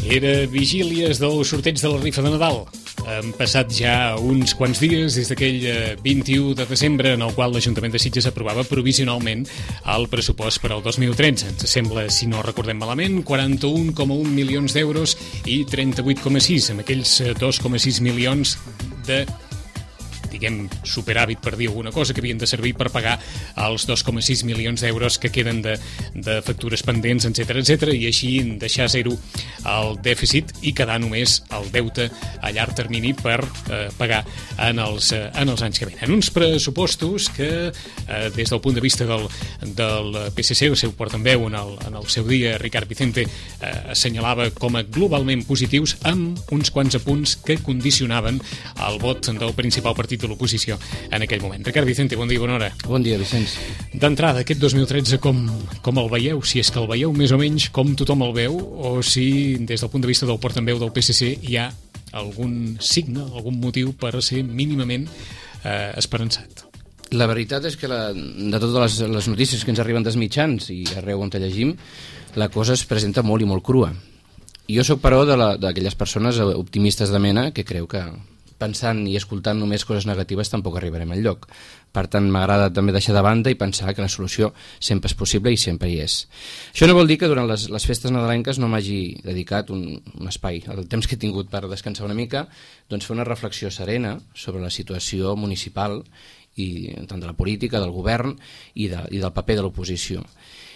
Era vigílies del sorteig de la rifa de Nadal. Han passat ja uns quants dies des d'aquell 21 de desembre en el qual l'Ajuntament de Sitges aprovava provisionalment el pressupost per al 2013. Ens sembla, si no recordem malament, 41,1 milions d'euros i 38,6 amb aquells 2,6 milions de superàvit, per dir alguna cosa, que havien de servir per pagar els 2,6 milions d'euros que queden de factures pendents, etc, i així deixar zero el dèficit i quedar només el deute a llarg termini per pagar en els anys que venen. Uns pressupostos que, des del punt de vista del PSC, el seu portaveu en el seu dia, Ricard Vicente, assenyalava com a globalment positius, amb uns quants apunts que condicionaven el vot del principal partit de l'oposició en aquell moment. Ricard Vicente, bon dia, bona hora. Bon dia, Vicenç. D'entrada, aquest 2013 com el veieu? Si és que el veieu més o menys com tothom el veu, o si des del punt de vista del portaveu del PSC hi ha algun signe, algun motiu per ser mínimament esperançat? La veritat és que de totes les notícies que ens arriben dels mitjans i arreu on te llegim, la cosa es presenta molt i molt crua. Jo sóc, però, d'aquelles persones optimistes de mena que creu que pensant i escoltant només coses negatives tampoc arribarem enlloc. Per tant, m'agrada també deixar de banda i pensar que la solució sempre és possible i sempre hi és. Això no vol dir que durant les festes nadalenques no m'hagi dedicat un espai, el temps que he tingut per descansar una mica, doncs fer una reflexió serena sobre la situació municipal, i tant de la política, del govern i del paper de l'oposició.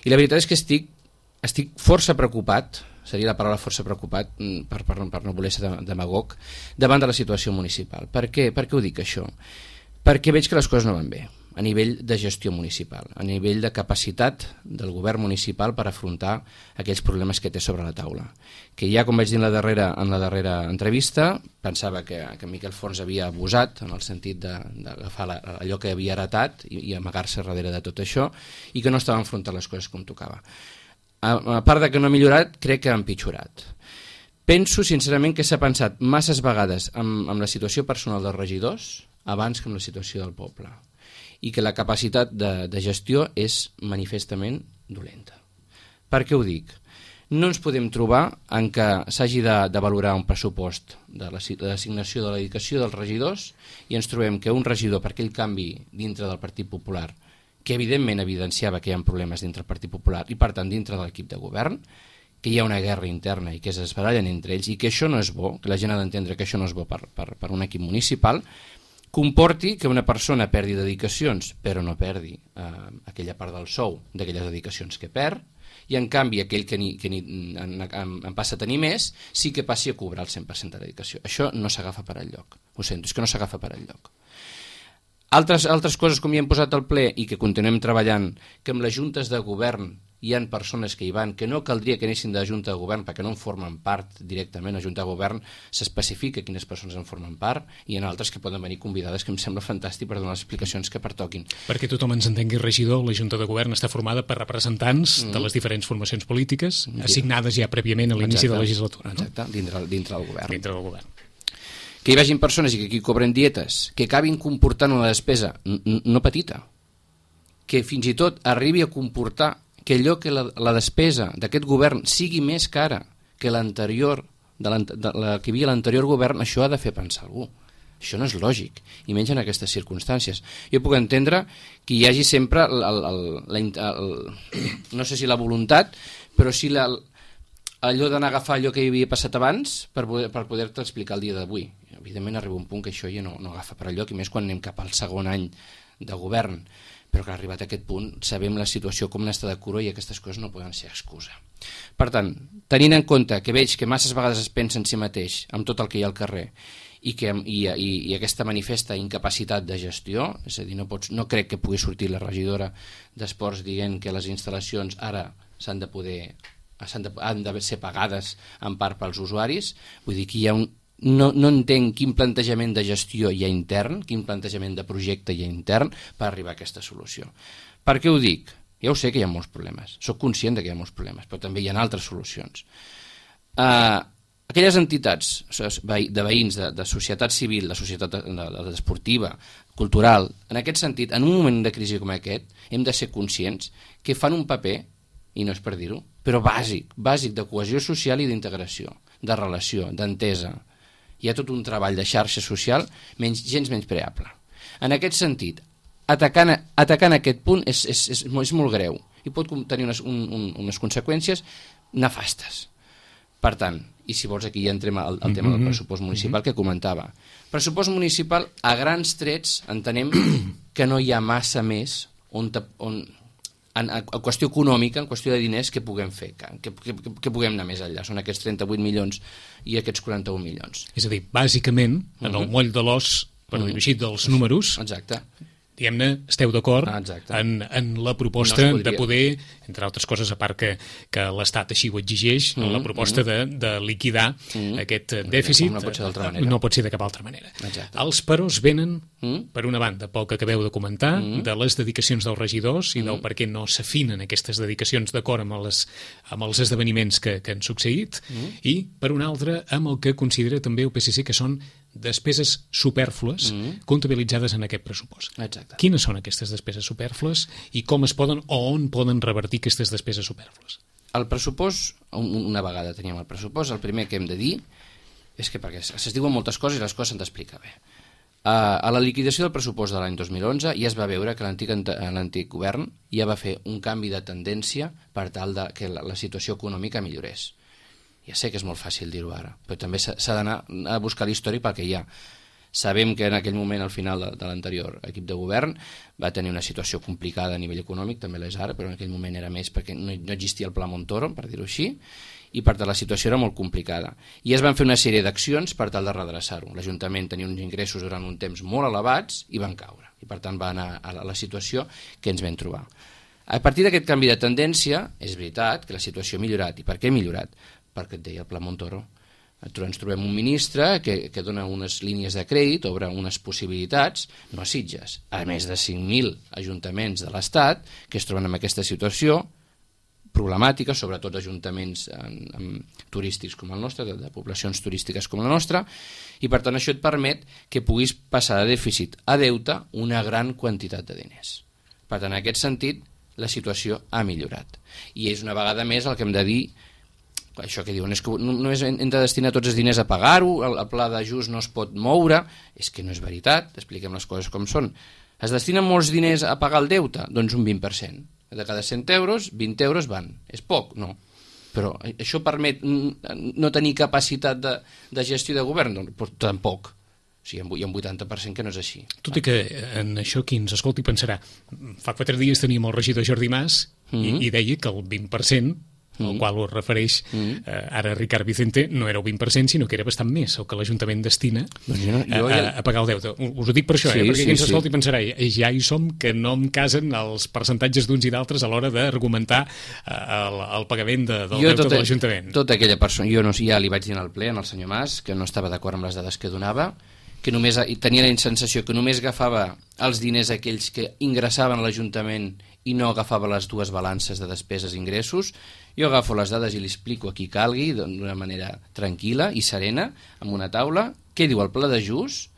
I la veritat és que estic força preocupat, seria la paraula força preocupat, per no voler ser demagog, davant de la situació municipal. Per què ho dic, això? Perquè veig que les coses no van bé, a nivell de gestió municipal, a nivell de capacitat del govern municipal per afrontar aquells problemes que té sobre la taula. Que ja, com vaig dir en la darrera entrevista, pensava que Miquel Fons havia abusat, en el sentit d'agafar allò que havia heretat i amagar-se darrere de tot això, i que no estava enfrontant les coses com tocava. A part de que no ha millorat, crec que ha empitjorat. Penso, sincerament, que s'ha pensat masses vegades amb la situació personal dels regidors abans que amb la situació del poble, i que la capacitat de gestió és manifestament dolenta. Per què ho dic? No ens podem trobar en què s'hagi de valorar un pressupost de l'assignació de la dedicació dels regidors i ens trobem que un regidor, per aquell canvi dintre del Partit Popular, que evidentment evidenciava que hi ha problemes dintre del Partit Popular i per tant dintre de l'equip de govern, que hi ha una guerra interna i que es barallen entre ells i que això no és bo, que la gent ha d'entendre que això no és bo per un equip municipal, comporti que una persona perdi dedicacions però no perdi aquella part del sou d'aquelles dedicacions que perd, i en canvi aquell que en passa a tenir més sí que passi a cobrar el 100% de dedicació. Això no s'agafa per enlloc, ho sento, és que no s'agafa per enlloc. Altres coses, com ja hem posat al ple i que continuem treballant, que amb les juntes de govern hi ha persones que hi van, que no caldria que anessin de junta de govern perquè no en formen part directament. A junta de govern s'especifica quines persones en formen part i hi ha altres que poden venir convidades, que em sembla fantàstic per donar les explicacions que pertoquin. Perquè tothom ens entengui, regidor, la junta de govern està formada per representants de les diferents formacions polítiques assignades ja prèviament a l'inici de la legislatura. Exacte, dintre del govern. Dintre del govern. Que hi vagin persones i que aquí cobren dietes, que acabin comportant una despesa no petita, que fins i tot arribi a comportar que allò que la despesa d'aquest govern sigui més cara que l'anterior, la que hi havia l'anterior govern, això ha de fer pensar algú. Això no és lògic, i menys en aquestes circumstàncies. Jo puc entendre que hi hagi sempre, no sé si la voluntat, però sí allò d'anar a agafar allò que hi havia passat abans per poder-te explicar el dia d'avui. Evidentment arriba un punt que això ja no agafa per allò, i més quan anem cap al segon any de govern, però que arribat a aquest punt sabem la situació com n'està de cura i aquestes coses no poden ser excusa. Per tant, tenint en compte que veig que masses vegades es pensa en si mateix, amb tot el que hi ha al carrer, i aquesta manifesta incapacitat de gestió, és a dir, no crec que pugui sortir la regidora d'Esports dient que les instal·lacions ara han de ser pagades en part pels usuaris. Vull dir que hi ha no entenc quin plantejament de gestió hi ha intern, quin plantejament de projecte hi ha intern per arribar a aquesta solució. Per què ho dic? Ja ho sé que hi ha molts problemes, soc conscient que hi ha molts problemes, però també hi ha altres solucions. Aquelles entitats de veïns, de societat civil, de societat esportiva, cultural, en aquest sentit, en un moment de crisi com aquest, hem de ser conscients que fan un paper, i no és per dir-ho, però bàsic de cohesió social i d'integració, de relació, d'entesa. Hi ha tot un treball de xarxa social gens menyspreable. En aquest sentit, atacant aquest punt és molt greu i pot tenir unes conseqüències nefastes. Per tant, i si vols aquí ja entrem al tema del pressupost municipal que comentava. Pressupost municipal, a grans trets, entenem que no hi ha massa més en qüestió econòmica, en qüestió de diners, que puguem fer, que puguem anar més enllà. Són aquests 38 milions i aquests 41 milions. És a dir, bàsicament, en el moll de l'os, per dir-ho així, dels números, exacte, diguem-ne, esteu d'acord en la proposta de poder, entre altres coses, a part que l'Estat així ho exigeix, la proposta de liquidar aquest dèficit. No pot ser d'altra manera. No pot ser de cap altra manera. Exacte. Els peròs venen, per una banda, pel que acabeu de comentar, de les dedicacions dels regidors i del per què no s'afinen aquestes dedicacions d'acord amb els esdeveniments que han succeït, i, per una altra, amb el que considera també el PSC que són despeses supèrflues comptabilitzades en aquest pressupost. Exacte. Quines són aquestes despeses supèrflues i com es poden o on poden revertir aquestes despeses supèrflues? El pressupost, una vegada teníem el pressupost, el primer que hem de dir és que, perquè es diuen moltes coses i les coses s'han d'explicar bé. A la liquidació del pressupost de l'any 2011 ja es va veure que l'antic govern ja va fer un canvi de tendència per tal que la situació econòmica millorés. Ja sé que és molt fàcil dir-ho ara, però també s'ha d'anar a buscar l'històric pel que hi ha. Sabem que en aquell moment, al final de l'anterior equip de govern, va tenir una situació complicada a nivell econòmic, també l'és ara, però en aquell moment era més perquè no existia el Pla Montoro, per dir-ho així, i per tant la situació era molt complicada. I es van fer una sèrie d'accions per tal de redreçar-ho. L'Ajuntament tenia uns ingressos durant un temps molt elevats i van caure, i per tant va anar a la situació que ens vam trobar. A partir d'aquest canvi de tendència, és veritat que la situació ha millorat. I per què ha millorat? Perquè et deia el Pla Montoro. Ens trobem un ministre que dona unes línies de crèdit, obre unes possibilitats, no a Sitges, a més de 5.000 ajuntaments de l'Estat que es troben en aquesta situació problemàtica, sobretot ajuntaments turístics com el nostre, de poblacions turístiques com la nostra, i per tant això et permet que puguis passar de dèficit a deute una gran quantitat de diners. Per tant, en aquest sentit, la situació ha millorat. I és una vegada més el que hem de dir. Això que diuen és que només hem de destinar tots els diners a pagar-ho, el pla d'ajust no es pot moure, és que no és veritat, expliquem les coses com són. Es destinen molts diners a pagar el deute? Doncs un 20%. De cada 100 euros, 20 euros van. És poc? No. Però això permet no tenir capacitat de gestió de govern? Doncs tampoc. O sigui, hi ha un 80% que no és així. Tot i que en això qui ens escolti pensarà, fa 4 dies teníem el regidor Jordi Mas i deia que el 20%, al qual ho refereix ara Ricard Vicente, no era el 20%, sinó que era bastant més el que l'Ajuntament destina a pagar el deute. Us ho dic per això, perquè qui ens escolti pensarà, ja hi som, que no em casen els percentatges d'uns i d'altres a l'hora d'argumentar el pagament del deute de l'Ajuntament. Tota aquella persona, jo ja li vaig dir al ple, al senyor Mas, que no estava d'acord amb les dades que donava, que només tenia la sensació que només agafava els diners aquells que ingressaven a l'Ajuntament i no agafava les dues balances de despeses i ingressos. Jo agafo les dades i li explico a qui calgui d'una manera tranquil·la i serena, amb una taula, què diu el pla d'ajust,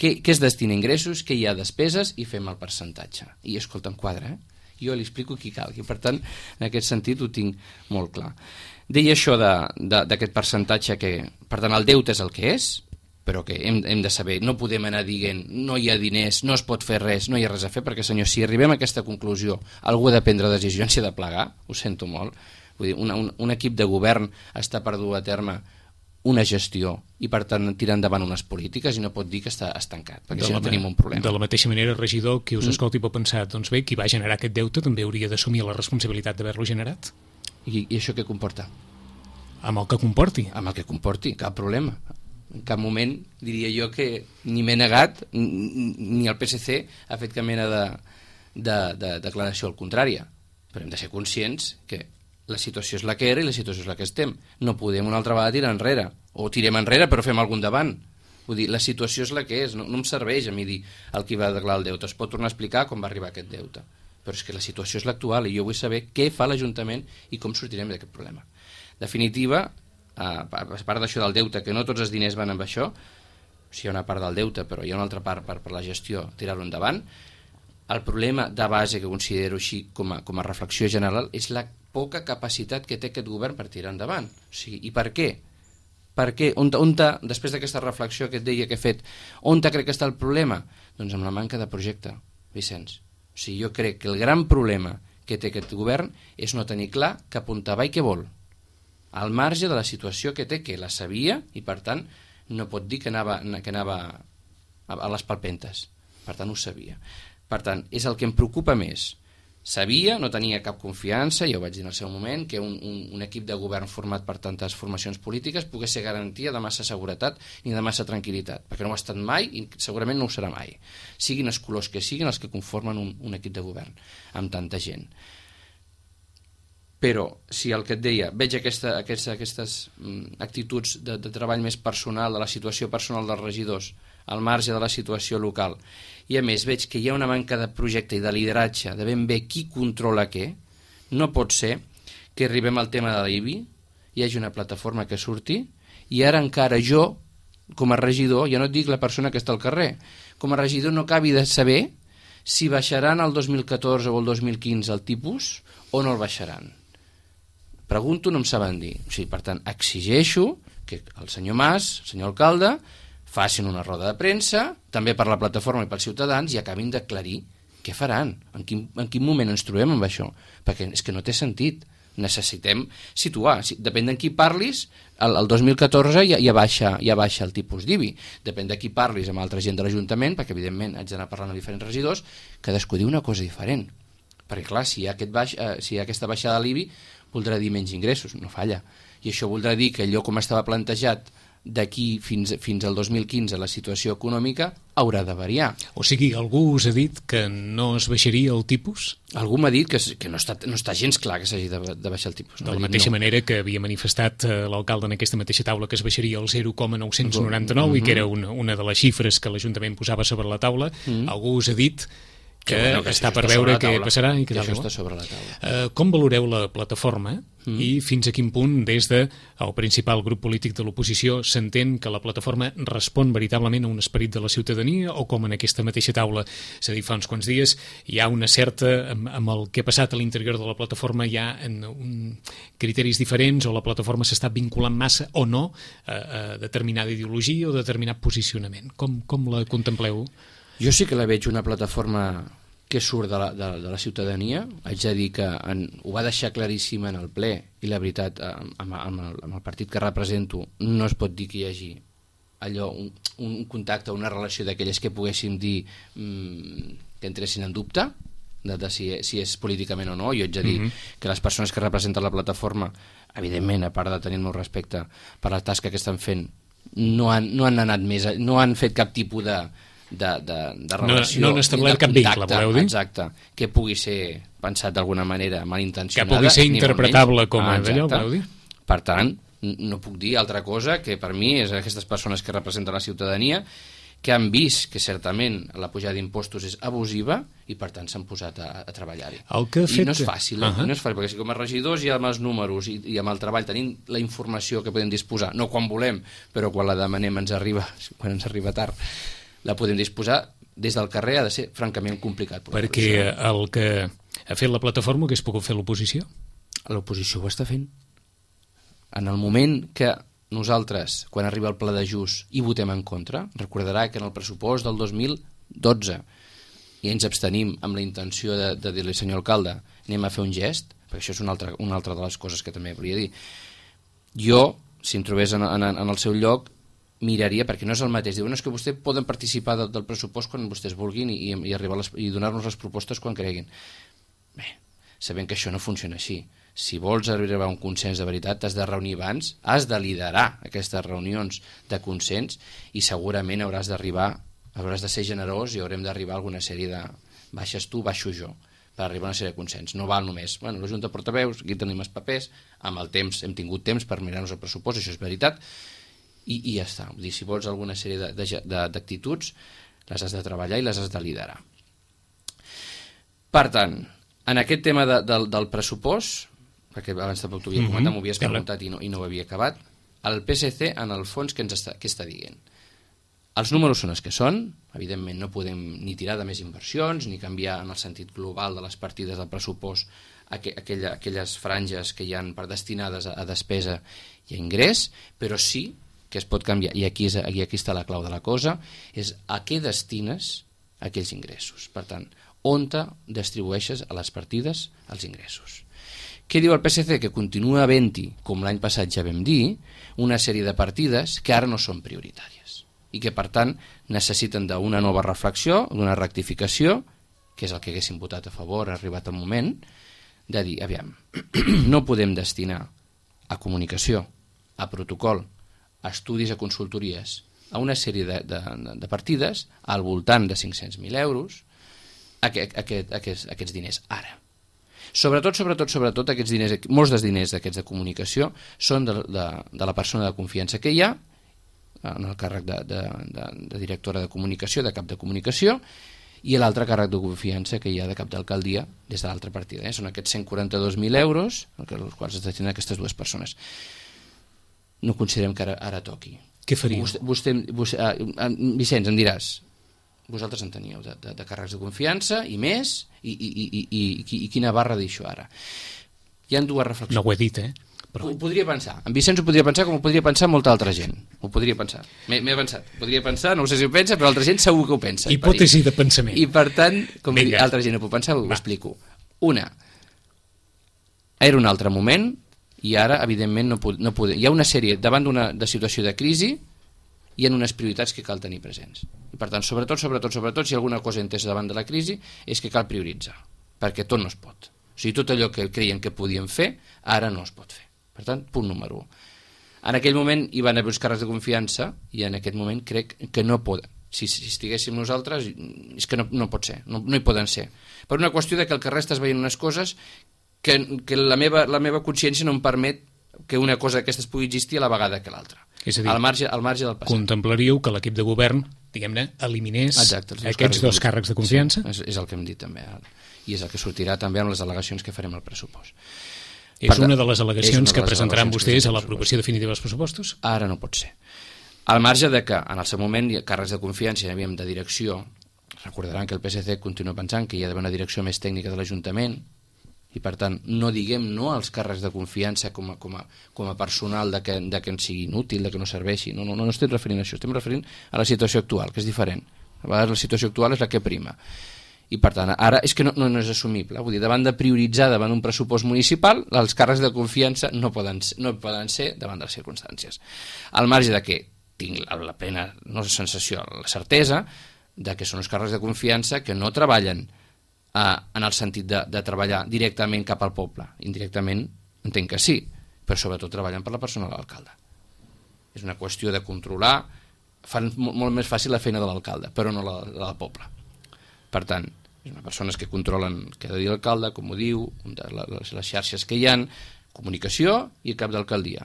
què es destina a ingressos, què hi ha despeses, i fem el percentatge. I escolta, em quadra, jo li explico a qui calgui. Per tant, en aquest sentit ho tinc molt clar. Deia això d'aquest percentatge que, per tant, el deute és el que és, però que hem de saber, no podem anar dient no hi ha diners, no es pot fer res, no hi ha res a fer, perquè, senyor, si arribem a aquesta conclusió, algú ha de prendre decisions i ha de plegar, ho sento molt. Vull dir, un equip de govern està per dur a terme una gestió i, per tant, tirar endavant unes polítiques i no pot dir que està estancat, perquè si no tenim un problema. De la mateixa manera, regidor, qui us escolti pot pensar, doncs bé, qui va generar aquest deute també hauria d'assumir la responsabilitat d'haver-lo generat. I això què comporta? Amb el que comporti. Amb el que comporti, cap problema. En cap moment diria jo que ni m'he negat ni el PSC ha fet cap mena de declaració al contrari, però hem de ser conscients que la situació és la que era i la situació és la que estem. No podem una altra vegada tirar enrere, o tirem enrere però fem algun davant. Vull dir, la situació és la que és, no em serveix a mi dir el qui va declarar el deute. Es pot tornar a explicar com va arribar aquest deute, però és que la situació és l'actual i jo vull saber què fa l'Ajuntament i com sortirem d'aquest problema. Definitiva, a part d'això del deute, que no tots els diners van amb això, hi ha una part del deute, però hi ha una altra part per la gestió, tirar-ho endavant. El problema de base que considero així com a reflexió general és la poca capacitat que té aquest govern per tirar endavant. O sigui, i per què? Per què? Després d'aquesta reflexió que et deia que he fet, on crec que està el problema? Doncs amb la manca de projecte, Vicenç. O sigui, jo crec que el gran problema que té aquest govern és no tenir clar cap on va i què vol, al marge de la situació que té, que la sabia, i per tant no pot dir que anava a les palpentes. Per tant, ho sabia. Per tant, és el que em preocupa més. Sabia, no tenia cap confiança, ja ho vaig dir en el seu moment, que un equip de govern format per tantes formacions polítiques pogués ser garantia de massa seguretat ni de massa tranquil·litat, perquè no ho ha estat mai i segurament no ho serà mai. Siguin els colors que siguin els que conformen un equip de govern amb tanta gent. Però, si el que et deia, veig aquestes actituds de treball més personal, de la situació personal dels regidors, al marge de la situació local, i a més veig que hi ha una manca de projecte i de lideratge, de ben bé qui controla què, no pot ser que arribem al tema de l'IBI, hi hagi una plataforma que surti, i ara encara jo, com a regidor, ja no et dic la persona que està al carrer, com a regidor no acabi de saber si baixaran el 2014 o el 2015 el tipus o no el baixaran. Pregunto, no em saben dir. O sigui, per tant, exigeixo que el senyor Mas, el senyor alcalde, facin una roda de premsa, també per la plataforma i pels ciutadans, i acabin d'aclarir què faran, en quin moment ens trobem amb això, perquè és que no té sentit. Necessitem situar, depèn de qui parlis, el 2014 ja baixa el tipus d'IBI, depèn de qui parlis amb altra gent de l'Ajuntament, perquè evidentment haig d'anar parlant amb diferents regidors, cadascú diu una cosa diferent, perquè clar, si hi ha aquesta baixada de l'IBI voldrà dir menys ingressos, no falla, i això voldrà dir que allò com estava plantejat d'aquí fins al 2015 la situació econòmica haurà de variar. O sigui, algú us ha dit que no es baixaria el tipus? Algú m'ha dit que no està gens clar que s'hagi de baixar el tipus. De la mateixa manera que havia manifestat l'alcalde en aquesta mateixa taula que es baixaria el 0,999 i que era una de les xifres que l'Ajuntament posava sobre la taula, algú us ha dit que està per veure què passarà i que això està sobre la taula. Com valoreu la plataforma i fins a quin punt des del principal grup polític de l'oposició s'entén que la plataforma respon veritablement a un esperit de la ciutadania, o com en aquesta mateixa taula s'ha dit fa uns quants dies, hi ha una certa, amb el que ha passat a l'interior de la plataforma, hi ha criteris diferents, o la plataforma s'està vinculant massa o no a determinada ideologia o determinat posicionament? Com la contempleu? Jo sí que la veig una plataforma que surt de la ciutadania. Haig de dir que ho va deixar claríssim en el ple, i la veritat, amb el partit que represento, no es pot dir que hi hagi allò, un contacte, una relació d'aquelles que poguéssim dir que entressin en dubte de si és políticament o no. Jo haig de dir que les persones que representen la plataforma, evidentment, a part de tenir el meu respecte per la tasca que estan fent, no han anat més, no han fet cap tipus de relació, no han establert cap vincle, voleu dir? Exacte, que pugui ser pensat d'alguna manera malintencionada, que pugui ser interpretable com a d'allò, voleu dir? Per tant, no puc dir altra cosa que per mi és aquestes persones que representen la ciutadania, que han vist que certament la pujada d'impostos és abusiva i per tant s'han posat a treballar-hi. I no és fàcil, no és fàcil, perquè si com a regidors i amb els números i amb el treball tenim la informació que podem disposar, no quan volem, però quan la demanem quan ens arriba tard, la podem disposar, des del carrer ha de ser francament complicat. Perquè el que ha fet la plataforma ho hagués pogut fer l'oposició? L'oposició ho està fent. En el moment que nosaltres, quan arriba el pla d'ajust, hi votem en contra, recordarà que en el pressupost del 2012 i ens abstenim amb la intenció de dir-li, senyor alcalde, anem a fer un gest, perquè això és una altra de les coses que també volia dir. Jo, si em trobés en el seu lloc, miraria, perquè no és el mateix. Diuen que vostès poden participar del pressupost quan vostès vulguin i arribar i donar-nos les propostes quan creguin. Bé, sabent que això no funciona així. Si vols arribar a un consens de veritat, t'has de reunir abans, has de liderar aquestes reunions de consens i segurament hauràs de ser generós i haurem d'arribar a alguna sèrie de baixes tu, baixo jo, per arribar a una sèrie de consens. No val només, la Junta de Portaveus, aquí tenim els papers, amb el temps hem tingut temps per mirar-nos el pressupost, això és veritat, i ja està. Vull dir, si vols alguna sèrie d'actituds, les has de treballar i les has de liderar. Per tant, en aquest tema del pressupost, perquè abans tampoc t'ho havia comentat, m'ho havies preguntat i no ho havia acabat, el PSC, en el fons, què està dient? Els números són els que són, evidentment no podem ni tirar de més inversions, ni canviar en el sentit global de les partides del pressupost aquelles franges que hi han destinades a despesa i a ingrés, però sí que es pot canviar, i aquí està la clau de la cosa, és a què destines aquells ingressos. Per tant, on distribueixes a les partides els ingressos. Què diu el PSC? Que continua havent-hi, com l'any passat ja vam dir, una sèrie de partides que ara no són prioritàries i que, per tant, necessiten d'una nova reflexió, d'una rectificació, que és el que haguéssim votat a favor, ha arribat el moment, de dir, aviam, no podem destinar a comunicació, a protocol, a estudis, a consultories, a una sèrie de partides al voltant de 500.000 euros aquests diners ara. Sobretot aquests diners, molts dels diners d'aquests de comunicació són de la persona de confiança que hi ha en el càrrec de directora de comunicació, de cap de comunicació, i l'altre càrrec de confiança que hi ha de cap d'alcaldia des de l'altra partida. Són aquests 142.000 euros els quals es destinen aquestes dues persones. No considerem que ara toqui. Què faríeu? Vicenç, em diràs, vosaltres en teníeu de càrrecs de confiança i més, i quina barra d'això ara. Hi ha dues reflexions. No ho he dit, Però... Ho podria pensar. En Vicenç ho podria pensar com ho podria pensar molta altra gent. Ho podria pensar. M'he avançat. Podria pensar, no sé si ho pensa, però altra gent segur que ho pensa. Hipòtesi de pensament. I per tant, com altra gent ho pot pensar, ho explico. Una, era un altre moment i ara, evidentment, no podem. Hi ha una sèrie, davant de situació de crisi, hi ha unes prioritats que cal tenir presents. I per tant, sobretot, si alguna cosa entès davant de la crisi, és que cal prioritzar, perquè tot no es pot. O sigui, tot allò que creien que podien fer, ara no es pot fer. Per tant, punt número 1. En aquell moment hi van haver uns càrrecs de confiança i en aquest moment crec que no poden. Si estiguéssim nosaltres, és que no pot ser, no hi poden ser. Per una qüestió de que el carrer estàs veient unes coses que la meva consciència no em permet que una cosa d'aquestes pugui existir a la vegada que l'altra. És a dir, al marge del passat. Contemplaríeu que l'equip de govern, diguem-ne, eliminés aquests dos càrrecs de confiança? Sí, és el que hem dit també. I és el que sortirà també amb les al·legacions que farem al pressupost. És una de les al·legacions que presentaran vostès a l'aprovació definitiva dels pressupostos? Ara no pot ser. Al marge de que en el seu moment càrrecs de confiança hi havíem de direcció, recordaran que el PSC continua pensant que hi ha d'haver una direcció més tècnica de l'Ajuntament i per tant no diguem no als càrrecs de confiança com a personal de que ens sigui inútil, de que no serveixi. No estem referint a això, estem referint a la situació actual, que és diferent. A vegades la situació actual és la que prima. I per tant, ara és que no és assumible. Vull dir, davant de prioritzar davant un pressupost municipal, els càrrecs de confiança no poden ser davant de les circumstàncies. Al marge de que tinc la plena sensació, la certesa, de que són els càrrecs de confiança que no treballen en el sentit de treballar directament cap al poble. Indirectament entenc que sí, però sobretot treballen per la persona de l'alcalde. És una qüestió de controlar, fan molt més fàcil la feina de l'alcalde, però no la del poble. Per tant, són persones que controlen què ha de dir l'alcalde, com ho diu, les xarxes que hi ha, comunicació i el cap d'alcaldia.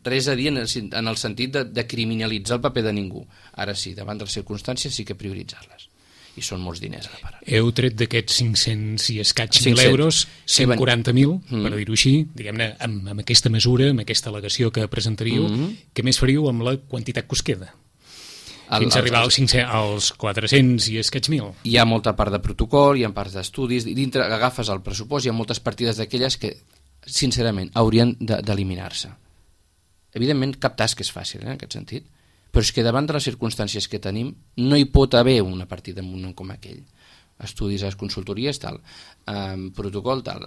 Res a dir en el sentit de criminalitzar el paper de ningú. Ara sí, davant de les circumstàncies sí que prioritzar-les. I són molts diners a la part. Heu tret d'aquests 500 i escaig mil euros 140.000, per dir-ho així, diguem-ne, amb aquesta mesura, amb aquesta al·legació que presentaríeu, què més faríeu amb la quantitat que us queda? Fins a arribar als 400 i escaig mil. Hi ha molta part de protocol, hi ha parts d'estudis, dintre agafes el pressupost, hi ha moltes partides d'aquelles que, sincerament, haurien d'eliminar-se. Evidentment, cap tasca és fàcil, en aquest sentit, però és que davant de les circumstàncies que tenim no hi pot haver una partida en un com aquell. Estudis a les consultories, tal, protocol, tal,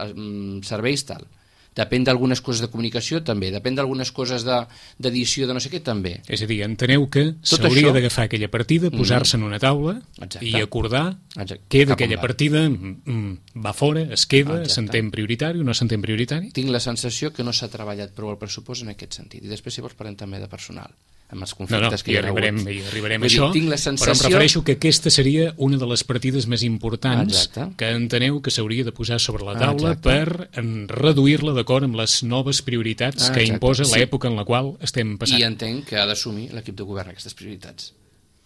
serveis, tal. Depèn d'algunes coses de comunicació, també. Depèn d'algunes coses d'edició, de no sé què, també. És a dir, enteneu que s'hauria d'agafar aquella partida, posar-se en una taula i acordar què d'aquella partida va fora, es queda, s'entén prioritari o no s'entén prioritari? Tinc la sensació que no s'ha treballat prou el pressupost en aquest sentit. I després, si vols, parlem també de personal, amb els conflictes que hi ha hagut. Hi arribarem a això, però em refereixo que aquesta seria una de les partides més importants que enteneu que s'hauria de posar sobre la taula per reduir-la d'acord amb les noves prioritats que imposa l'època en la qual estem passant. I entenc que ha d'assumir l'equip de govern aquestes prioritats.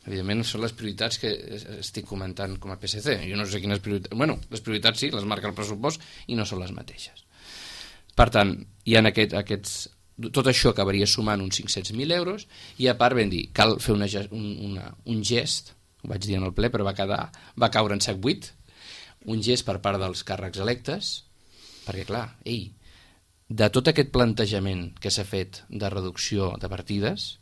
Evidentment són les prioritats que estic comentant com a PSC. Jo no sé quines prioritats... Bueno, les prioritats sí, les marca el pressupost i no són les mateixes. Per tant, hi ha aquests... Tot això acabaria sumant uns 500.000 euros i a part vam dir, cal fer un gest, ho vaig dir en el ple però va caure en sac buit, un gest per part dels càrrecs electes, perquè clar, de tot aquest plantejament que s'ha fet de reducció de partides,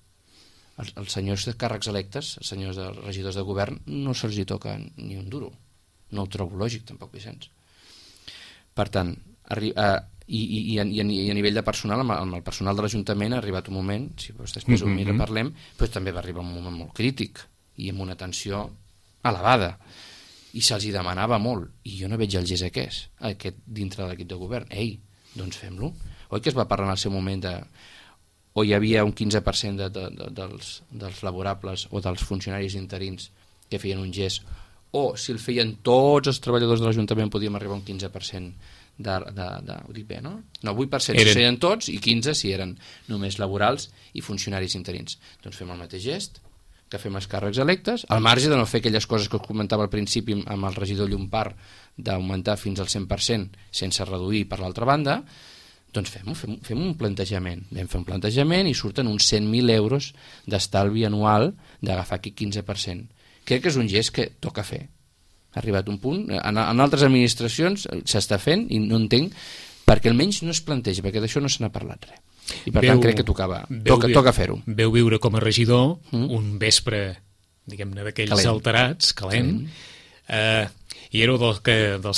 els senyors de càrrecs electes, els senyors de regidors de govern, no se'ls hi toca ni un duro. No ho trobo lògic, tampoc, Vicenç. Per tant, i a nivell de personal, amb el personal de l'Ajuntament ha arribat un moment, si després ho mira parlem, però també va arribar un moment molt crític i amb una tensió elevada, i se'ls hi demanava molt, i jo no veig el gest aquest dintre de l'equip de govern. Ei, doncs fem-lo. Oi que es va parlar en el seu moment o hi havia un 15% dels laborables o dels funcionaris interins que feien un gest, o si el feien tots els treballadors de l'Ajuntament podíem arribar a un 15% ho dic bé, no? No, 8% si serien tots i 15% si eren només laborals i funcionaris interins. Doncs fem el mateix gest que fem els càrrecs electes, al marge de no fer aquelles coses que us comentava al principi amb el regidor Llompart, d'augmentar fins al 100% sense reduir per l'altra banda, doncs fem un plantejament. Vam fer un plantejament i surten uns 100.000 euros d'estalvi anual d'agafar aquí 15%. Crec que és un gest que toca fer. Ha arribat un punt, en altres administracions s'està fent i no entenc perquè almenys no es planteja, perquè d'això no se n'ha parlat res. I per tant crec que toca fer-ho. Veu viure com a regidor un vespre, diguem-ne, d'aquells alterats, calent, i éreu dels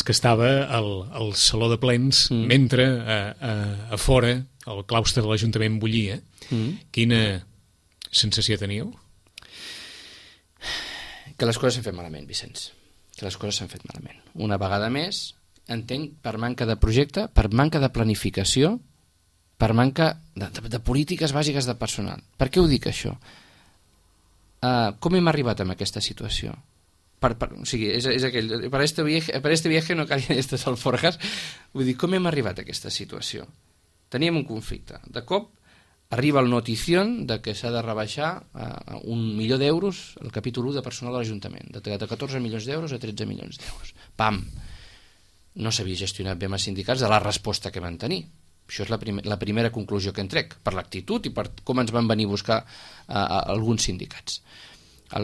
que estava al saló de plens mentre a fora el claustre de l'Ajuntament bullia. Quina sensació teníeu? Que les coses s'han fet malament, Vicenç. Que les coses s'han fet malament. Una vegada més, entenc, per manca de projecte, per manca de planificació, per manca de polítiques bàsiques de personal. Per què ho dic, això? Com hem arribat a aquesta situació? O sigui, és aquell... Per este viaje no calien estas alforjas. Vull dir, com hem arribat a aquesta situació? Teníem un conflicte. De cop arriba el notición de que s'ha de rebaixar a 1 milió d'euros el capítol 1 de personal de l'Ajuntament, de 14 milions d'euros a 13 milions d'euros. Pam! No s'havia gestionat bé amb els sindicats de la resposta que van tenir. Això és la primera conclusió que en trec, per l'actitud i per com ens van venir a buscar alguns sindicats.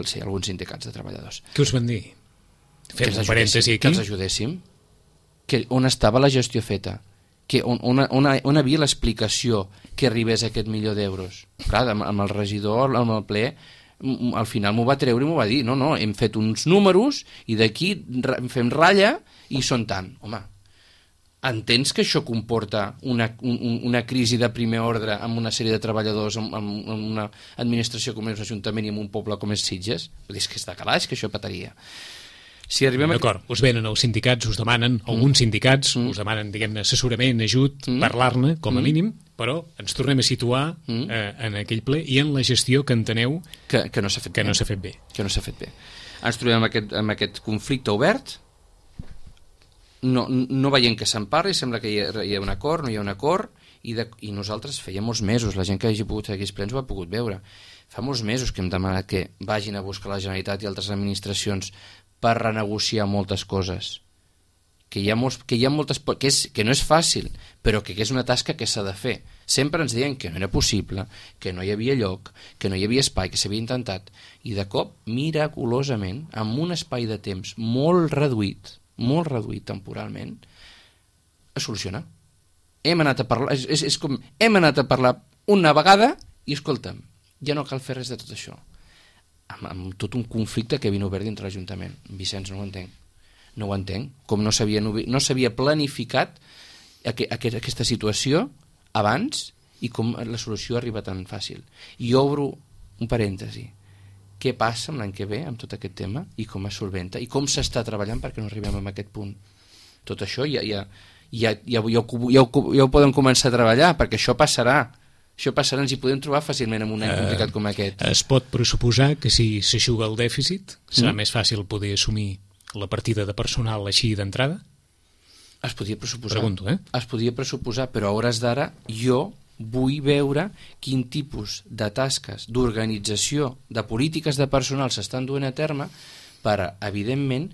Sí, alguns sindicats de treballadors. Què us van dir? Fem un parèntesi aquí. Que els ajudéssim. On estava la gestió feta? On havia l'explicació que arribés a aquest milió d'euros? Clar, amb el regidor, amb el ple, al final m'ho va treure i m'ho va dir. No, hem fet uns números i d'aquí fem ratlla i són tant. Home, entens que això comporta una crisi de primer ordre amb una sèrie de treballadors, amb una administració com és l'Ajuntament i amb un poble com és Sitges? Vull dir, és que està calaix, que això petaria. Si d'acord, us venen els sindicats, us demanen, alguns sindicats, us demanen, diguem-ne, assessorament, ajut, parlar-ne, com a mínim, però ens tornem a situar en aquell ple i en la gestió que enteneu que no s'ha fet bé. Que no s'ha fet bé. Ens trobem amb aquest conflicte obert, no veiem que se'n parli, sembla que hi ha un acord, no hi ha un acord, i nosaltres feia molts mesos, la gent que hagi pogut fer aquells plens ho ha pogut veure. Fa molts mesos que hem demanat que vagin a buscar la Generalitat i altres administracions per renegociar moltes coses, que no és fàcil, però que és una tasca que s'ha de fer. Sempre ens deien que no era possible, que no hi havia lloc, que no hi havia espai, que s'havia intentat, i de cop, miraculosament, amb un espai de temps molt reduït temporalment, es soluciona. Hem anat a parlar, és com hem anat a parlar una vegada i escolta'm, ja no cal fer res de tot això. Amb tot un conflicte que havia obert dintre l'Ajuntament. Vicenç, no ho entenc. Com no s'havia planificat aquesta situació abans i com la solució arriba tan fàcil. I obro un parèntesi. Què passa l'any que ve amb tot aquest tema i com es solventa i com s'està treballant perquè no arribem a aquest punt? Tot això ja ho podem començar a treballar, perquè això passarà. Ens hi podem trobar fàcilment en un any complicat com aquest. Es pot pressuposar que si s'aixuga el dèficit serà més fàcil poder assumir la partida de personal així d'entrada? Es podia pressuposar. Pregunto, Es podia pressuposar, però a hores d'ara jo vull veure quin tipus de tasques, d'organització, de polítiques de personal s'estan duent a terme per, evidentment,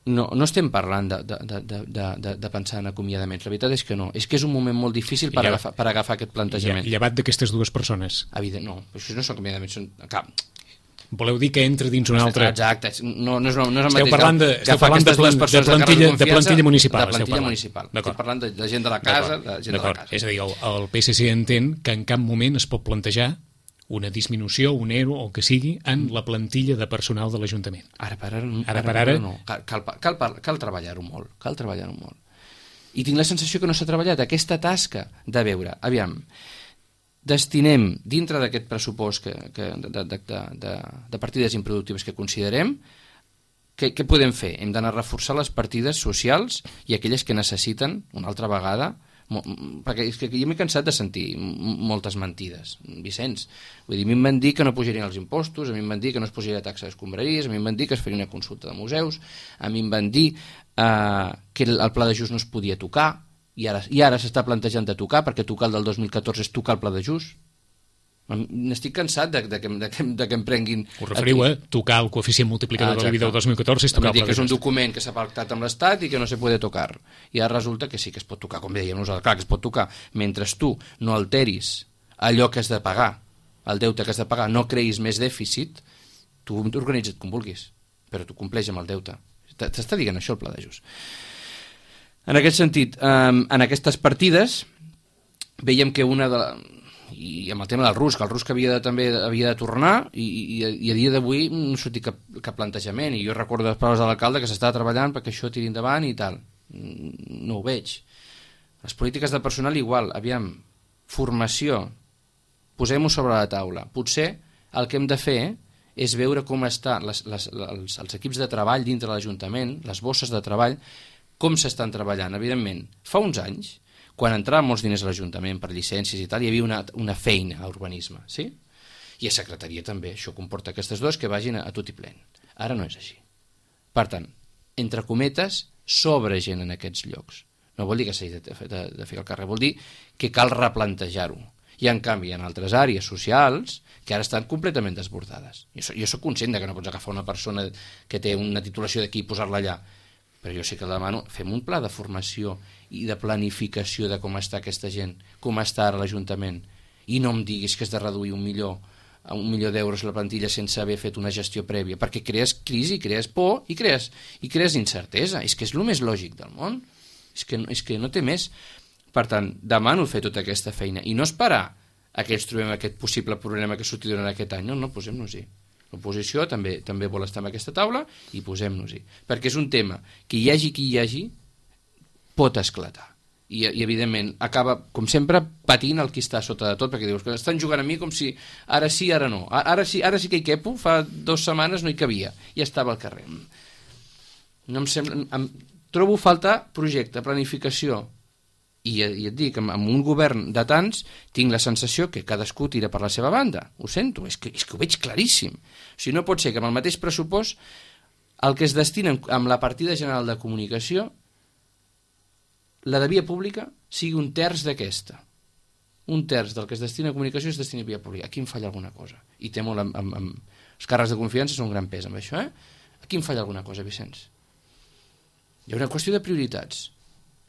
no estem parlant de pensar en acomiadaments, la veritat és que no, és que és un moment molt difícil per agafar aquest plantejament. Llevat d'aquestes dues persones? No, això no són acomiadaments, són cap. Voleu dir que entra dins una altra... Exacte, no és el mateix. Esteu parlant de plantilla municipal. De plantilla municipal. Estic parlant de gent de la casa, És a dir, el PSC entén que en cap moment es pot plantejar una disminució, un ERO, o el que sigui, en la plantilla de personal de l'Ajuntament. Ara per ara no. Cal treballar-ho molt. Cal treballar-ho molt. I tinc la sensació que no s'ha treballat aquesta tasca de veure, aviam, destinem dintre d'aquest pressupost de partides improductives que considerem, què podem fer? Hem d'anar a reforçar les partides socials i aquelles que necessiten, una altra vegada, perquè és que jo m'he cansat de sentir moltes mentides, Vicenç. Vull dir, a mi em van dir que no pujarien els impostos, a mi em van dir que no es pujaria la taxa d'escombraries, a mi em van dir que es faria una consulta de museus, a mi em van dir que el pla d'ajust no es podia tocar, i ara s'està plantejant de tocar, perquè tocar el del 2014 és tocar el pla d'ajust. N'estic cansat de que em prenguin... Us referiu a tocar el coeficient multiplicador de l'IBI del 2014 és tocar el pla d'ajust. Que és un document que s'ha pactat amb l'Estat i que no se puede tocar. I ara resulta que sí que es pot tocar, com dèiem nosaltres, clar que es pot tocar. Mentre tu no alteris allò que has de pagar, el deute que has de pagar, no creïs més dèficit, tu organitza't com vulguis, però tu compleix amb el deute. T'està dient això el pla d'ajust. En aquest sentit, en aquestes partides veiem que una de... i amb el tema del RUSC, el RUSC també havia de tornar i a dia d'avui no ha sortit cap plantejament, i jo recordo les paraules de l'alcalde que s'estava treballant perquè això tiri endavant i tal. No ho veig. Les polítiques de personal igual, aviam, formació, posem-ho sobre la taula. Potser el que hem de fer és veure com estan els equips de treball dintre de l'Ajuntament, les bosses de treball, com s'estan treballant. Evidentment, fa uns anys, quan entraven molts diners a l'Ajuntament per llicències i tal, hi havia una feina a urbanisme, sí? I a secretaria també. Això comporta aquestes dues que vagin a tot i plen. Ara no és així. Per tant, entre cometes, sobra gent en aquests llocs. No vol dir que s'hagi de fer al carrer, vol dir que cal replantejar-ho. I en canvi, en altres àrees socials que ara estan completament desbordades. Jo soc conscient que no pots agafar una persona que té una titulació d'aquí i posar-la allà, però jo sí que demano, fem un pla de formació i de planificació de com està aquesta gent, com està ara l'Ajuntament, i no em diguis que has de reduir $1 milió d'euros la plantilla sense haver fet una gestió prèvia, perquè crees crisi, crees por i crees incertesa. És que és el més lògic del món, és que no té més. Per tant, demano fer tota aquesta feina i no esperar a que ens trobem aquest possible problema que surti durant aquest any. No, posem-nos-hi. L'oposició també vol estar en aquesta taula i posem-nos-hi. Perquè és un tema que hi hagi qui hi hagi, pot esclatar. I evidentment, acaba, com sempre, patint el qui està sota de tot, perquè dius que estan jugant a mi com si ara sí, ara no. Ara sí que hi quepo, fa 2 setmanes no hi cabia, i estava al carrer. No em sembla... Trobo falta projecte, planificació, i et dic, amb un govern de tants tinc la sensació que cadascú tira per la seva banda. Ho sento, és que ho veig claríssim. O sigui, no pot ser que amb el mateix pressupost el que es destina amb la partida general de comunicació, la de via pública, sigui 1/3 d'aquesta. 1/3 del que es destina a comunicació es destina a via pública. Aquí em falla alguna cosa. I té molt amb els càrrecs de confiança són un gran pes amb això, Aquí em falla alguna cosa, Vicenç. Hi ha una qüestió de prioritats.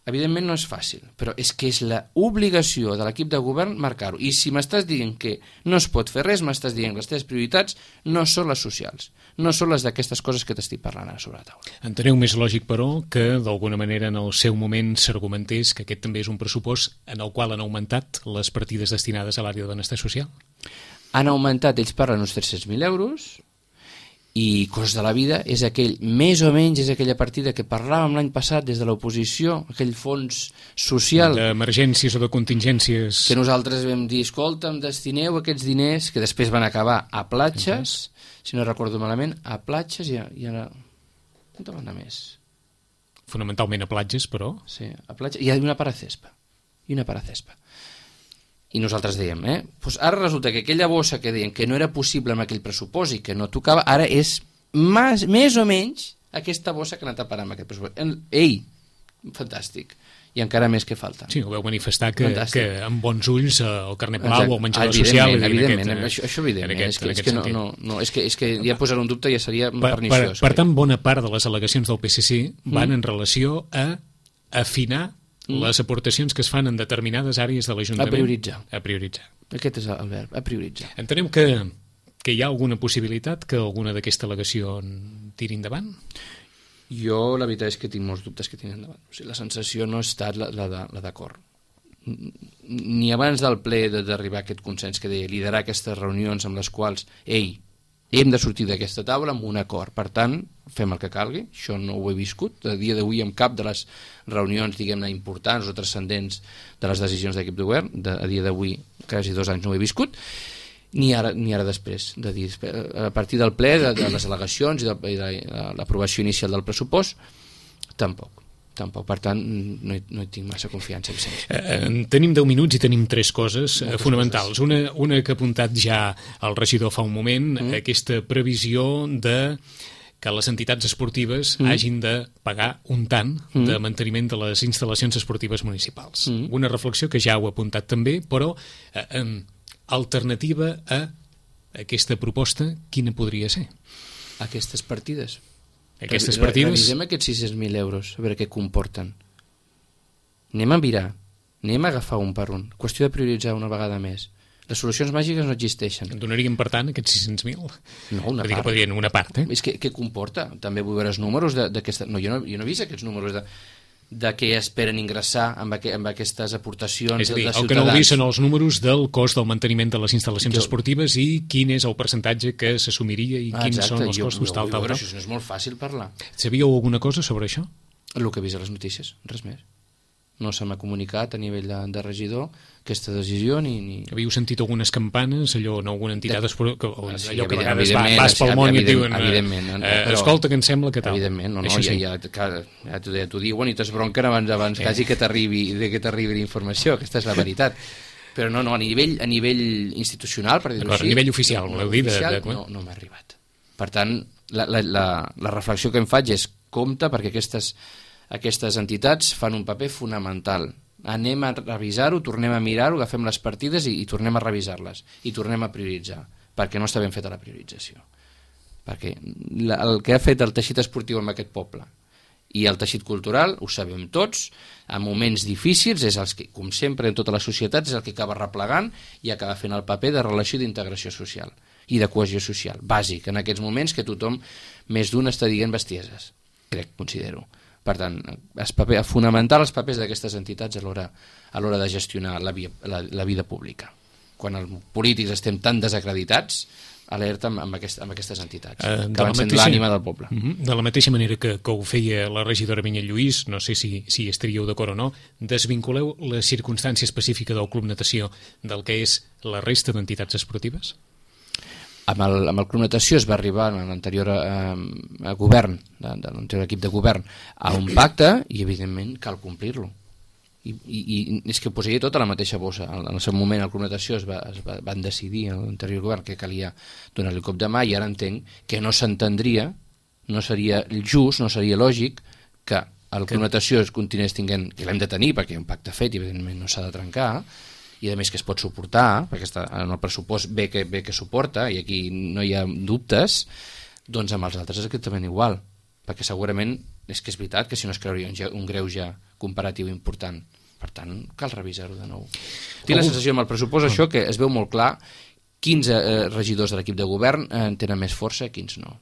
Evidentment no és fàcil, però és que és l'obligació de l'equip de govern marcar-ho. I si m'estàs dient que no es pot fer res, m'estàs dient que les teves prioritats no són les socials, no són les d'aquestes coses que t'estic parlant ara sobre la taula. Enteneu més lògic, però, que d'alguna manera en el seu moment s'argumentés que aquest també és un pressupost en el qual han augmentat les partides destinades a l'àrea de benestar social? Han augmentat, ells parlen uns 300.000 euros, i Cost de la Vida és més o menys és aquella partida que parlàvem l'any passat des de l'oposició, aquell fons social d'emergències o de contingències que nosaltres vam dir, escolta'm, destineu aquests diners que després van acabar a platges, si no recordo malament, a platges i ara on van anar més? Fonamentalment a platges, però sí, a platges, i una part a cespa i nosaltres dèiem, pues ara resulta que aquella bossa que deien que no era possible amb aquell pressupost i que no tocava, ara és més o menys aquesta bossa que ha anat a parar amb aquest pressupost. Ei, fantàstic. I encara més que falta. Sí, ho veu manifestar que amb bons ulls el carnet Palau o el menjador social... Evidentment, això evidentment. És que ja posar un dubte ja seria perniciós. Per tant, bona part de les al·legacions del PSC van en relació a afinar les aportacions que es fan en determinades àrees de l'Ajuntament. A prioritzar. Aquest és el verb, a prioritzar. Entenem que hi ha alguna possibilitat que alguna d'aquesta al·legació tiri endavant? Jo la veritat és que tinc molts dubtes que tiri endavant. O sigui, la sensació no ha estat la d'acord. ni abans del ple d'arribar a aquest consens que deia, liderar aquestes reunions amb les quals, hem de sortir d'aquesta taula amb un acord, per tant, fem el que calgui, això no ho he viscut, a dia d'avui en cap de les reunions, diguem-ne, importants o transcendents de les decisions d'aquest govern, a dia d'avui, quasi 2 anys no ho he viscut, ni ara després, de dir, a partir del ple, de les al·legacions i de l'aprovació inicial del pressupost, tampoc. Per tant, no hi tinc massa confiança. Tenim 10 minuts i tenim 3 coses fonamentals. Una que ha apuntat ja el regidor fa un moment, aquesta previsió de que les entitats esportives hagin de pagar un tant de manteniment de les instal·lacions esportives municipals. Una reflexió que ja heu apuntat també, però alternativa a aquesta proposta, quina podria ser? Aquestes partides. Aquestes partides... Revisem aquests 600.000 euros, a veure què comporten. Anem a mirar, anem a agafar un per un. Qüestió de prioritzar una vegada més. Les solucions màgiques no existeixen. En donaríem, per tant, aquests 600.000? No, una part. Que podrien una part, És que què comporta? També vull veure els números d'aquesta... No, jo no he vist aquests números de què esperen ingressar amb aquestes aportacions és a dir, de ciutadans. El que no heu vist són els números del cost del manteniment de les instal·lacions esportives i quin és el percentatge que s'assumiria i quins són els costos tal. Això no és molt fàcil parlar. Sabíeu alguna cosa sobre això? El que he vist a les notícies, res més. No se m'ha comunicat a nivell de regidor aquesta decisió ni... Havíeu sentit algunes campanes, alguna entitat allò que a vegades vas pel món i et diuen escolta, que em sembla que tal. Evidentment, ja t'ho diuen i t'esbronquen abans quasi que t'arribi la informació, aquesta és la veritat. Però no, a nivell institucional, per dir-ho així... A nivell oficial, voleu dir? No m'ha arribat. Per tant, la reflexió que em faig és compte perquè aquestes entitats fan un paper fonamental. Anem a revisar-ho, tornem a mirar-ho, agafem les partides i tornem a revisar-les i tornem a prioritzar, perquè no està ben feta la priorització. Perquè el que ha fet el teixit esportiu en aquest poble i el teixit cultural, ho sabem tots, en moments difícils, és els que, com sempre en totes les societats, és el que acaba replegant i acaba fent el paper de relació d'integració social i de cohesió social, bàsic, en aquests moments que tothom, més d'un, està dient bestieses, considero. Per tant, fonamentar els papers d'aquestes entitats a l'hora de gestionar la vida pública. Quan els polítics estem tan desacreditats, alerta amb aquestes entitats, que van sent l'ànima del poble. De la mateixa manera que ho feia la regidora Vinyet Lluís, no sé si estaríeu d'acord o no, desvinculeu la circumstància específica del Club Natació del que és la resta d'entitats esportives? Amb el Club Natació es va arribar en l'anterior govern, de l'anterior equip de govern, a un pacte i evidentment cal complir-lo. I és que ho posaria tot a la mateixa bossa. En el seu moment el Club Natació van decidir en l'anterior govern que calia donar-li el cop de mà i ara entenc que no s'entendria, no seria just, no seria lògic que el Club Natació es continués tinguent, que l'hem de tenir perquè hi ha un pacte fet i evidentment no s'ha de trencar, i a més que es pot suportar, perquè en el pressupost ve que suporta, i aquí no hi ha dubtes, doncs amb els altres és exactament igual, perquè segurament és que és veritat que si no es creuria un greuge comparatiu important. Per tant, cal revisar-ho de nou. Tinc la sensació amb el pressupost això que es veu molt clar quins regidors de l'equip de govern tenen més força i quins no.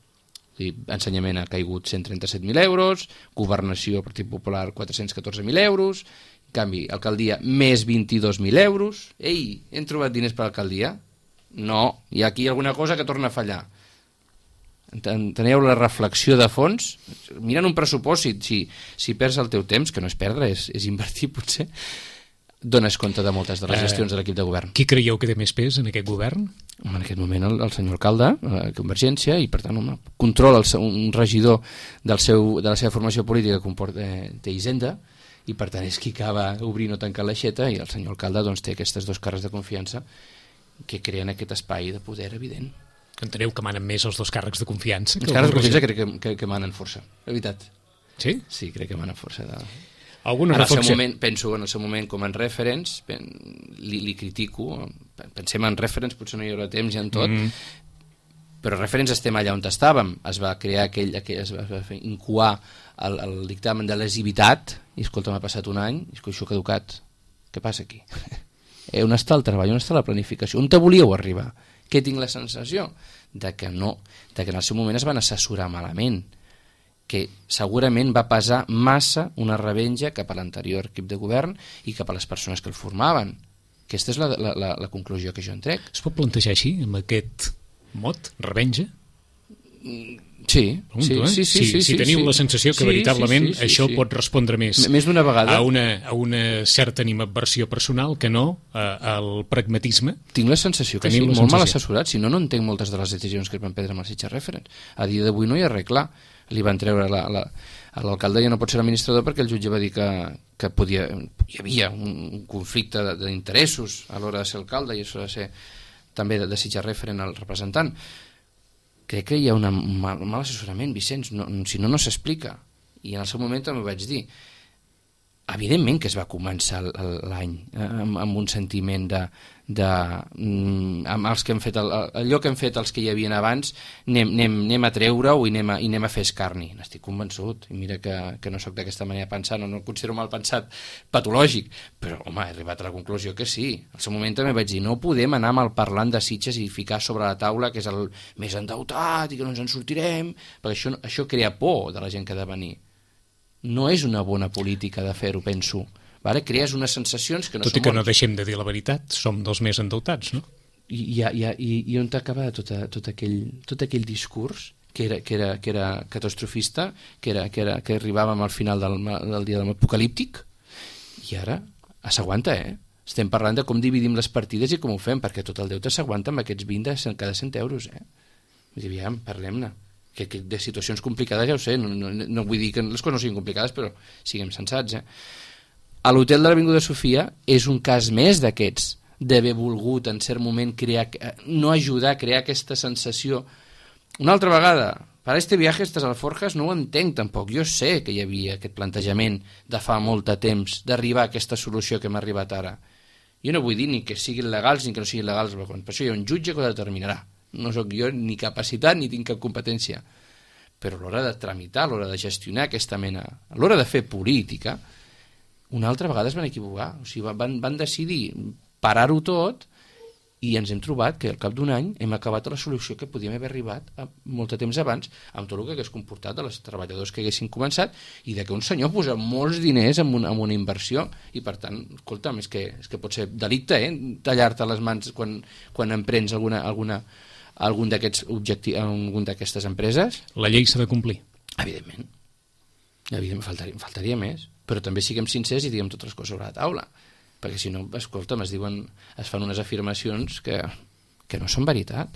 Ensenyament ha caigut 137.000 euros, governació, Partit Popular, 414.000 euros, en canvi, alcaldia, més 22.000 euros. Ei, hem trobat diners per l'alcaldia? No, hi ha aquí alguna cosa que torna a fallar. Enteneu la reflexió de fons? Mirant un pressupost, si perds el teu temps, que no és perdre, és invertir potser, dones compte de moltes de les gestions de l'equip de govern. Qui creieu que té més pes en aquest govern? En aquest moment el senyor alcalde, Convergència, i per tant controla un regidor de la seva formació política que té Hisenda, i per tant és qui acaba obrint o tancant l'aixeta, i el senyor alcalde doncs, té aquestes dos càrrecs de confiança que creen aquest espai de poder evident. Enteneu que manen més els dos càrrecs de confiança? Els càrrecs de confiança crec que manen força, la veritat. Sí? Sí, crec que manen força. Alguna reflexió? Penso en el seu moment com en referents, li critico, pensem en referents, potser no hi haurà temps ja en tot, però referents estem allà on estàvem, es va crear es va incoar el dictamen de lesivitat, i escolta, m'ha passat un any, i això ha caducat, què passa aquí? On està el treball, on està la planificació, on te volíeu arribar? Què tinc la sensació? De que en el seu moment es van assessorar malament, que segurament va pesar massa una revenja cap a l'anterior equip de govern i cap a les persones que el formaven. Aquesta és la conclusió que jo en trec. Es pot plantejar així, amb aquest mot, revenja? Sí, si teniu la sensació que veritablement això pot respondre més d'una vegada a una certa animadversió personal que no al pragmatisme. Tinc la sensació que sí, molt mal assessorat, si no entenc moltes de les decisions que es van prendre amb els Sitges Referents. A dia d'avui no hi ha res clar. Li van treure l'alcalde, ja no pot ser administrador perquè el jutge va dir que hi havia un conflicte d'interessos a l'hora de ser alcalde i a l'hora de ser també de Sitges Referent el representant. Crec que hi ha un mal assessorament, Vicenç, si no s'explica. I en el seu moment també ho vaig dir. Evidentment que es va començar l'any amb un sentiment amb els que hem fet allò que hem fet els que hi havien abans, anem a treure-ho i anem a fer escarni. N'estic convençut, i mira que no sóc d'aquesta manera de pensar, no el considero mal pensat patològic, però home, he arribat a la conclusió que sí. Al seu moment també vaig dir, no podem anar mal parlant de Sitges i ficar sobre la taula que és el més endeutat i que no ens en sortirem, perquè això crea por de la gent que ha de venir. No és una bona política de fer-ho, penso. Vale? Crees unes sensacions que no són... Tot i que no deixem de dir la veritat, som dels més endeutats, no? I on t'acaba tot aquell discurs que era catastrofista, que arribàvem al final del dia apocalíptic, i ara s'aguanta, Estem parlant de com dividim les partides i com ho fem, perquè tot el deute s'aguanta amb aquests 20 cada 100 euros, Vull dir, aviam, parlem-ne. Que de situacions complicades ja ho sé, no vull dir que les coses no siguin complicades, però siguem sensats. A l'hotel de l'Avinguda Sofia és un cas més d'aquests, d'haver volgut en cert moment no ajudar a crear aquesta sensació. Una altra vegada, per este viatge a estas alforjas no ho entenc tampoc. Jo sé que hi havia aquest plantejament de fa molt de temps d'arribar a aquesta solució que hem arribat ara. Jo no vull dir ni que siguin legals ni que no siguin legals, per això hi ha un jutge que ho determinarà. No sóc jo ni capacitat ni tinc cap competència, però a l'hora de tramitar, a l'hora de gestionar aquesta mena, a l'hora de fer política, una altra vegada es van equivocar. O sigui, van decidir parar-ho tot i ens hem trobat que al cap d'un any hem acabat a la solució que podíem haver arribat molt de temps abans, amb tot el que hagués comportat a els treballadors que haguessin començat i de que un senyor posa molts diners en una inversió i per tant, escolta'm, és que pot ser delicte, tallar-te les mans quan emprens algun d'aquests objectius, algun d'aquestes empreses. La llei s'ha de complir. Evidentment, faltaria més, però també siguem sincers i diguem totes les coses sobre la taula, perquè si no, escolta'm, es fan unes afirmacions que no són veritat,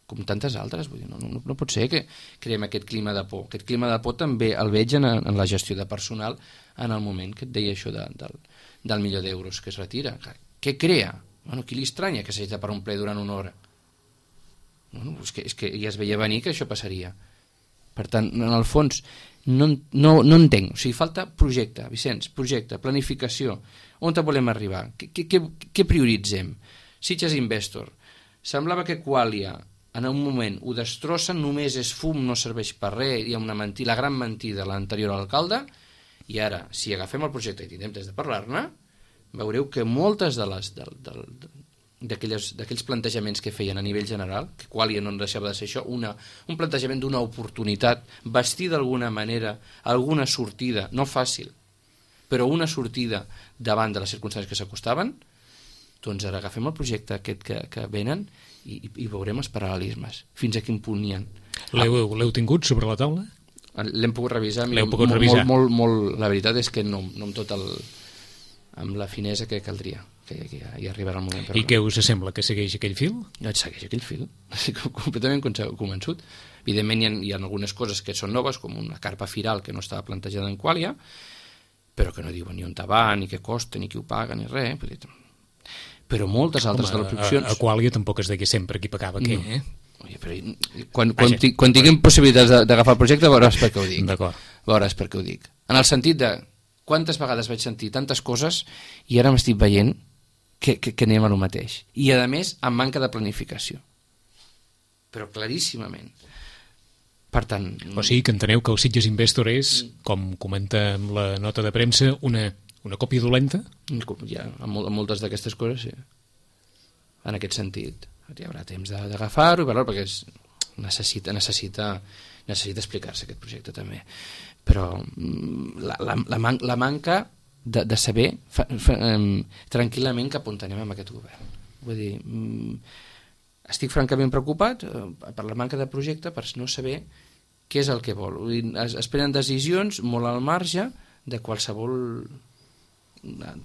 com tantes altres. Vull dir, no pot ser que creem aquest clima de por. Aquest clima de por també el veig en la gestió de personal en el moment que et deia això del $1.000.000 que es retira. Què crea? Bueno, qui li estranya que s'hagi de parar un ple durant una hora? Bueno, és que ja es veia venir que això passaria. Per tant, en el fons no entenc, o sigui, falta projecte, Vicenç, projecte, planificació, on volem arribar, què prioritzem? Sitges Investor, semblava que Qualia en un moment ho destrossen, només és fum, no serveix per res, hi ha una mentida, la gran mentida de l'anterior alcalde, i ara, si agafem el projecte i tindrem temps de parlar-ne, veureu que moltes d'aquells plantejaments que feien a nivell general, que Qualia no deixava de ser això, un plantejament d'una oportunitat, vestir d'alguna manera alguna sortida, no fàcil, però una sortida davant de les circumstàncies que s'acostaven, doncs ara agafem el projecte aquest que venen i veurem els paral·lelismes, fins a quin punt n'hi ha. L'heu tingut sobre la taula? L'hem pogut revisar. Molt, la veritat és que no amb la finesa que caldria, que hi arribarà el moment. I què us sembla, que segueix aquell fil? No, segueix aquell fil, estic completament convençut. Evidentment hi ha algunes coses que són noves, com una carpa firal que no estava plantejada en Qualia, però que no diuen ni on va, ni què costa, ni qui ho paga, ni res. Però moltes altres de les opcions... A Qualia tampoc es deia sempre qui pagava què, Oye, però quan tinguem possibilitats d'agafar el projecte veuràs per què ho dic. D'acord. Veuràs per què ho dic. En el sentit de quantes vegades vaig sentir tantes coses i ara m'estic veient que anem a lo mateix. I a més, amb manca de planificació. Però claríssimament. Per tant... O sigui que enteneu que el Sitges Investor és, com comenta amb la nota de premsa, una còpia dolenta? Ja, amb moltes d'aquestes coses, sí. En aquest sentit. Hi haurà temps d'agafar-ho i veure-ho, perquè necessita necessita explicar-se aquest projecte també. Però la manca de saber tranquil·lament cap on anem amb aquest govern. Vull dir, estic francament preocupat per la manca de projecte, per no saber què és el que vol. Vull dir, es prenen decisions molt al marge de qualsevol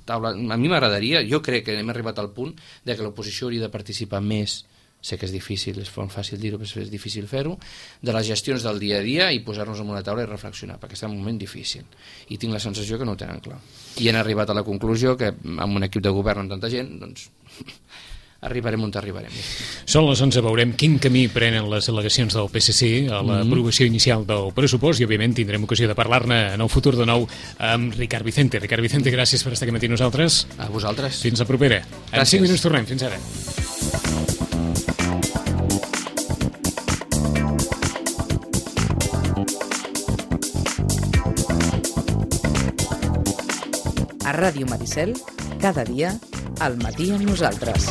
taula. A mi m'agradaria, jo crec que hem arribat al punt de que l'oposició hauria de participar més, sé que és difícil, és fàcil dir-ho, però és difícil fer-ho, de les gestions del dia a dia i posar-nos en una taula i reflexionar, perquè està en un moment difícil. I tinc la sensació que no ho tenen clar. I han arribat a la conclusió que amb un equip de govern amb tanta gent, doncs arribarem on arribarem. Són les 11, veurem quin camí prenen les delegacions del PSC a l'aprovació inicial del pressupost i, òbviament, tindrem ocasió de parlar-ne en el futur de nou amb Ricard Vicente. Ricard Vicente, gràcies per estar aquí matí amb nosaltres. A vosaltres. Fins la propera. En 5 minuts tornem. Fins ara. A Ràdio Maricel, cada dia, al matí amb nosaltres.